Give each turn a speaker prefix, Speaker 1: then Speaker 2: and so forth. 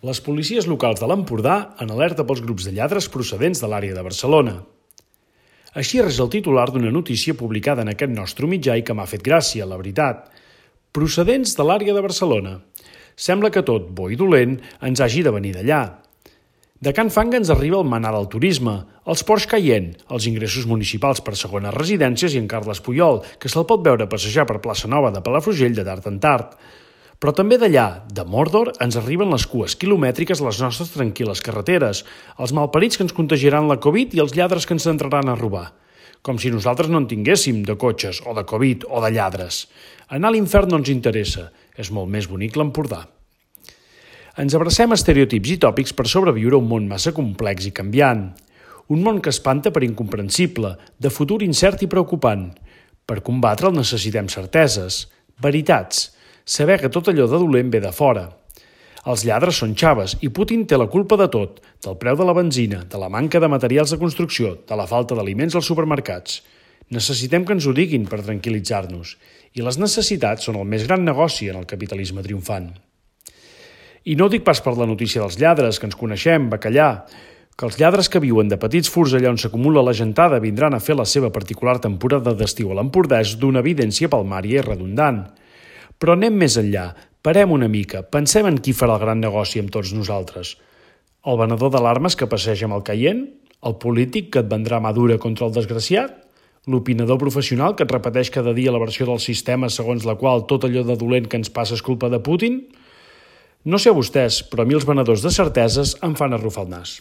Speaker 1: Les policies locals de l'Empordà en alerta pels grups de lladres procedents de l'àrea de Barcelona. Així és el titular d'una notícia publicada en aquest nostre mitjà i que m'ha fet gràcia, la veritat. Procedents de l'àrea de Barcelona. Sembla que tot, bo i dolent, ens hagi de venir d'allà. De Can Fanga ens arriba el manar del turisme, els Porsche Cayenne, els ingressos municipals per segones residències i en Carles Puyol, que se'l pot veure passejar per Plaça Nova de Palafrugell de tard en tard. Però també d'allà, de Mordor, ens arriben les cues quilomètriques a les nostres tranquil·les carreteres, els malparits que ens contagiaran la Covid i els lladres que ens entraran a robar. Com si nosaltres no en tinguéssim de cotxes, o de Covid, o de lladres. Anar a l'infern no ens interessa, és molt més bonic l'Empordà. Ens abracem a estereotips i tòpics per sobreviure a un món massa complex i canviant. Un món que espanta per incomprensible, de futur incert i preocupant. Per combatre'l necessitem certeses, veritats, saber que tot allò de dolent ve de fora. Els lladres són xaves i Putin té la culpa de tot, del preu de la benzina, de la manca de materials de construcció, de la falta d'aliments als supermercats. Necessitem que ens ho diguin per tranquil·litzar-nos. I les necessitats són el més gran negoci en el capitalisme triomfant. I no ho dic pas per la notícia dels lladres, que ens coneixem, bacallà, que els lladres que viuen de petits furs allà on s'acumula la gentada vindran a fer la seva particular temporada d'estiu a l'Empordà és d'una evidència palmària i redundant. Però anem més enllà, parem una mica, pensem en qui farà el gran negoci amb tots nosaltres. El venedor d'alarmes que passeja amb el Cayenne? El polític que et vendrà mà dura contra el desgraciat? L'opinador professional que et repeteix cada dia la versió del sistema segons la qual tot allò de dolent que ens passa és culpa de Putin? No sé a vostès, però a mi els venedors de certeses em fan arrufar el nas.